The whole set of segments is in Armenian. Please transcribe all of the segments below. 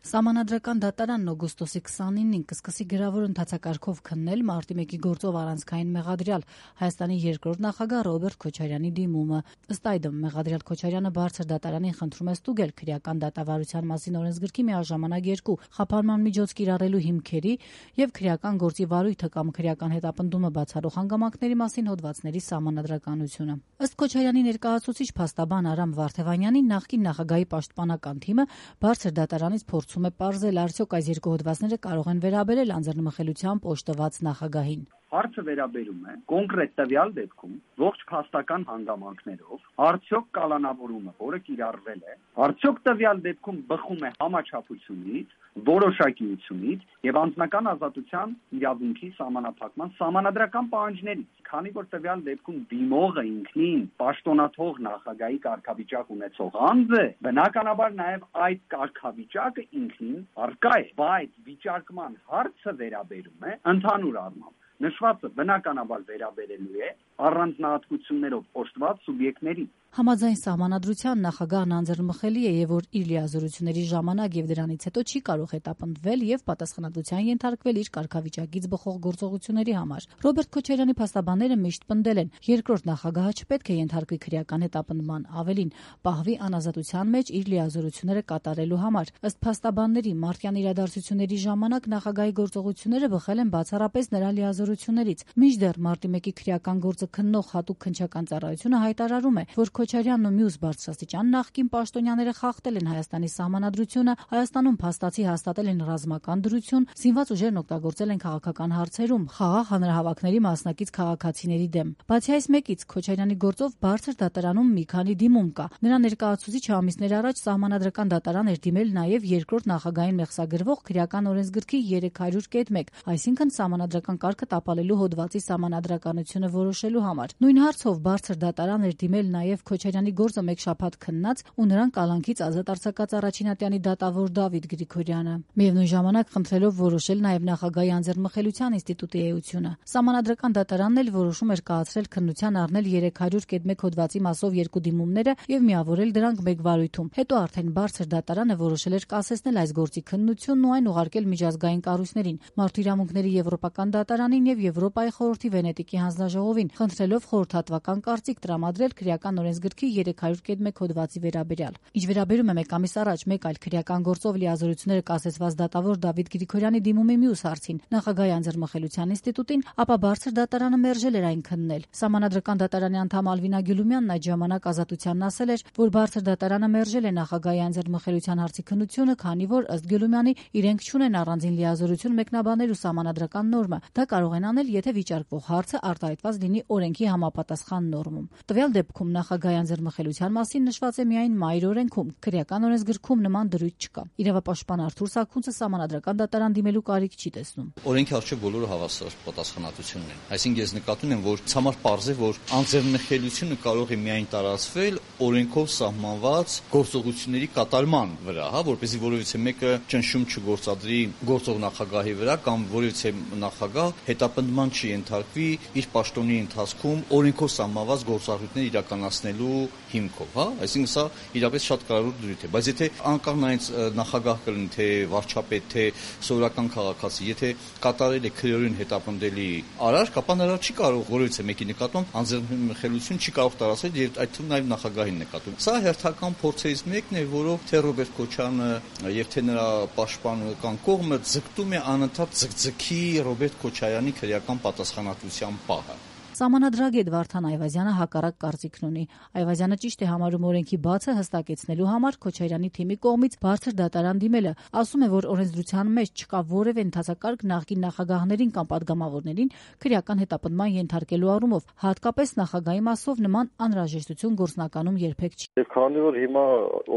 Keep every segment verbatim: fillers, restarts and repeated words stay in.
Սահմանադրական դատարանն օգոստոսի քսանինին կսկսի գրավոր ընթացակարգով քննել մարտի մեկի գործով առանցքային մեղադրյալ Հայաստանի երկրորդ նախագահ Ռոբերտ Քոչարյանի դիմումը։ Ըստ այդմ, մեղադրյալ Քոչարյանը բարձր դատարանին խնդրում է ստուգել քրեական դատավարության մասին օրենսգրքի միաժամանակ երկու խափանման միջոց կիրառելու հիմքերի եւ քրեական գործի վարույթը կամ քրեական հետապնդումը բացառող հանգամանքների մասին հոդվածների սահմանադրականությունը։ Ըստ Քոչարյանի ներկայացուցիչ փաստաբան Արամ Վարդևանյանի, նախկին նախագահի պաշտպանական թիմը բարձր դատարանից փորձում է պարզել, արդյոք այս երկու հոդվածները կարող են վերաբերել անձեռնմխելությամբ օժտված նախագահին։ Հարցը վերաբերում է կոնկրետ տվյալ դեպքում ողջ փաստական հանգամանքներով արդյոք կալանավորումը, որը կիրառվել է, արդյոք տվյալ դեպքում բխում է համաչափությունից, որոշակիությունից եւ անձնական ազատության իրավունքի սահմանափակման սահմանադրական պահանջներից, քանի որ տվյալ դեպքում դիմողը ինքնին պաշտոնաթող նախագահի կարգավիճակ ունեցող անձ է, բնականաբար նաեւ այդ կարգավիճակը ինքնին առկա է, բայց վիճարկման հարցը վերաբերում է ընդհանուր առմամբ նշվածը բնականաբար վերաբերելու է առանձնահատկություններով օժտված սուբյեկտների։ Համաձայն սահմանադրության նախագահն անձեռնմխելի է եւ որ իր լիազորությունների ժամանակ եւ դրանից հետո չի կարող հետապնդվել եւ պատասխանատվության ենթարկվել իր կարգավիճակից բխող գործողությունների համար։ Ռոբերտ Քոչարյանի փաստաբանները միշտ պնդել են, երկրորդ նախագահը չպետք է ենթարկվի քրեական հետապնդման, ավելին պահվի անազատության մեջ իր լիազորությունները կատարելու համար։ Ըստ փաստաբանների, մարտյան իրադարձությունների ժամանակ նախագահի գործողությունները բխել են բացառապես նրա լիազորություններից։ Մինչդեռ մարտի մեկի քրեական գործը քննող հատուկ քննչական ծառայությունը հայտարարում է, որ Քոչարյանն ու մյուս բարձրաստիճան նախկին պաշտոնյաները խախտել են Հայաստանի սահմանադրությունը, Հայաստանում փաստացի հաստատել են ռազմական դրություն, զինված ուժերն օգտագործել են քաղաքական հարցերում, խաղաղ հանրահավաքների մասնակից քաղաքացիների դեմ։ Բացի այս մեկից, Քոչարյանի գործով բարձր դատարանում մի քանի դիմում կա։ Նրա ներկայացուցիչը ամիսներ առաջ սահմանադրական դատարան էր դիմել նաև երկրորդ նախագահային մեղսագրվող քրեական օրենսգրքի երեք հարյուր կետ մեկ, այսինքն սահմանադրական կարգը տապալելու հոդվածի սահմանադրականությունը որոշելու համար։ Նույն հարցով բարձր դատարան էր դիմել նաև Քոչարյանի գործը մեկ շաբաթ քննած ու նրան կալանքից ազատ արձակած առաջինատյանի դատավոր Դավիթ Գրիգորյանը, միևնույն ժամանակ խնդրելով որոշել նաև նախագահի անձեռնմխելիության ինստիտուտի էությունը։ Սահմանադրական դատարանն էլ որոշում էր կայացրել քննության առնել երեք հարյուր կետ մեկ հոդվածի մասով երկու դիմումները եւ միավորել դրանք մեկ վարույթում։ Հետո արդեն բարձր դատարանը որոշել էր կասեցնել այս գործի քննությունն ու այն ուղարկել միջազգային կառույցներին, Մարդու իրավունքների եվրոպական դատարանին եւ Եվրոպայի խորհրդի Վենետիկի հանձնաժողովին, խնդրելով խորհրդատվական կարծիք տրամադրել քրեական օրենսգրքի երեք հարյուր կետ մեկ հոդվածի վերաբերյալ։ Ինչ վերաբերում է մեկ ամիս առաջ մեկ այլ քրեական գործով լիազորությունները կասեցված դատավոր Դավիթ Գրիգորյանի դիմումի մյուս հարցին, նախագահի անձեռնմխելիության ինստիտուտին, ապա բարձր դատարանը մերժել էր այն քննել։ Սահմանադրական դատարանի անդամ Ալվինա Գյուլումյանն այդ ժամանակ Ազատությանն ասել էր, որ բարձր դատարանը մերժել է նախագահի անձեռնմխելիության հարցի քննությունը, քանի որ ըստ Գյուլումյանի իրենք չունեն առանձին լիազորություն մեկնաբանել ու սահմանադրական նորմը։ Դա կարող են անել, եթե վիճարկվող հարցը արտահայտված լինի օրենքի համապատասխան նորմում։ Տվյալ դեպքում նախագահի անձեռնմխելիության մասին նշված է միայն Մայր օրենքում, քրեական օրենսգրքում նման դրույթ չկա։ Իրավապաշտպան Արթուր Սարգսյանը սահմանադրական դատարան դիմելու կարիք չի տեսնում։ Օրենքի առջև բոլորը հավասար պատասխանատվություն ունեն։ Այսինքն ես նկատում եմ, որ ցամար պարզ է, որ անձեռնմխելիությունը կարող է միայն տարածվել օրենքով սահմանված գործողությունների կատարման վրա, հա, որպեսզի որևիցե մեկը ճնշում չգործադրի գործող նախագահի վրա կամ որևիցե նախագահ հետապնդման չի ենթարկվի իր պաշտոնի ընթացքում օրենքով սահմանված գործառույթներ իրականացնելու հիմքով, հա, այսինքն սա իրապես շատ կարևոր դրույթ է, բայց եթե անկախ նայած նախագահ կլինի, թե վարչապետ, թե սովորական քաղաքացի, եթե կատարել է քրեորեն հետապնդելի արարք, ապա նրա չի կարող որևիցե մեկի նկատմամբ անձեռնմխելիություն չի կարող տարածել եւ այդ թվում նաեւ նախագահին նկատում։ Սա հերթական փորձերից մեկն է, որով թե Ռոբերտ Քոչարյանը եւ թե նրա պաշտպանական կողմը ձգտում է անընդհատ ձգձգի Ռոբերտ Քոչարյանի քրեական պատասխանատվության պահը։ Սահմանադրագետ Վարդան Այվազյանը հակառակ կարծիքն ունի։ Այվազյանը ճիշտ է համարում օրենքի բացը հստակեցնելու համար Քոչարյանի թիմի կողմից բարձր դատարան դիմելը։ Ասում է, որ օրենսդրության մեջ չկա որևէ ընդհանրակարգ նախկին նախագահներին կամ պատգամավորներին քրեական հետապնդման ենթարկելու առումով, հատկապես նախագահի մասով նման անհրաժեշտություն գործնականում երբեք չի։ Եվ քանի որ հիմա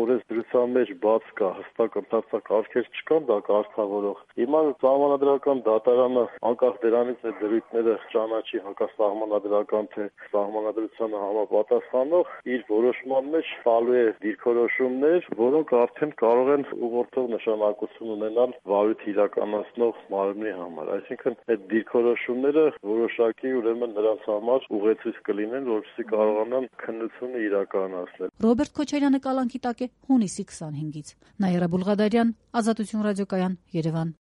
օրենսդրության մեջ բաց կա հստակ ընդհանրակարգեր չկան դա կարգավորող, հիմա սահմանադրական դատարանը անկախ դրանից է դրույթները ճանաչի հակասահման սահմանադրական թե սահմանադրությանը համապատասխանող իր որոշման մեջ տալու է դիրքորոշումներ, որոնք արդեն կարող են ուղղորդող նշանակություն ունենալ վարույթ իրականացնող մարմնի համար։ Այսինքն այդ դիրքորոշումները որոշակի ուրեմն նրանց համար ուղեցույց կլինեն, որպեսզի կարողանան քննությունը իրականացնել։ Ռոբերտ Քոչարյանը կալանքի տակ է հունիսի քսանհինգից։ Նաիրա Բուլղադարյան, Ազատություն ռադիոկայան, Երևան։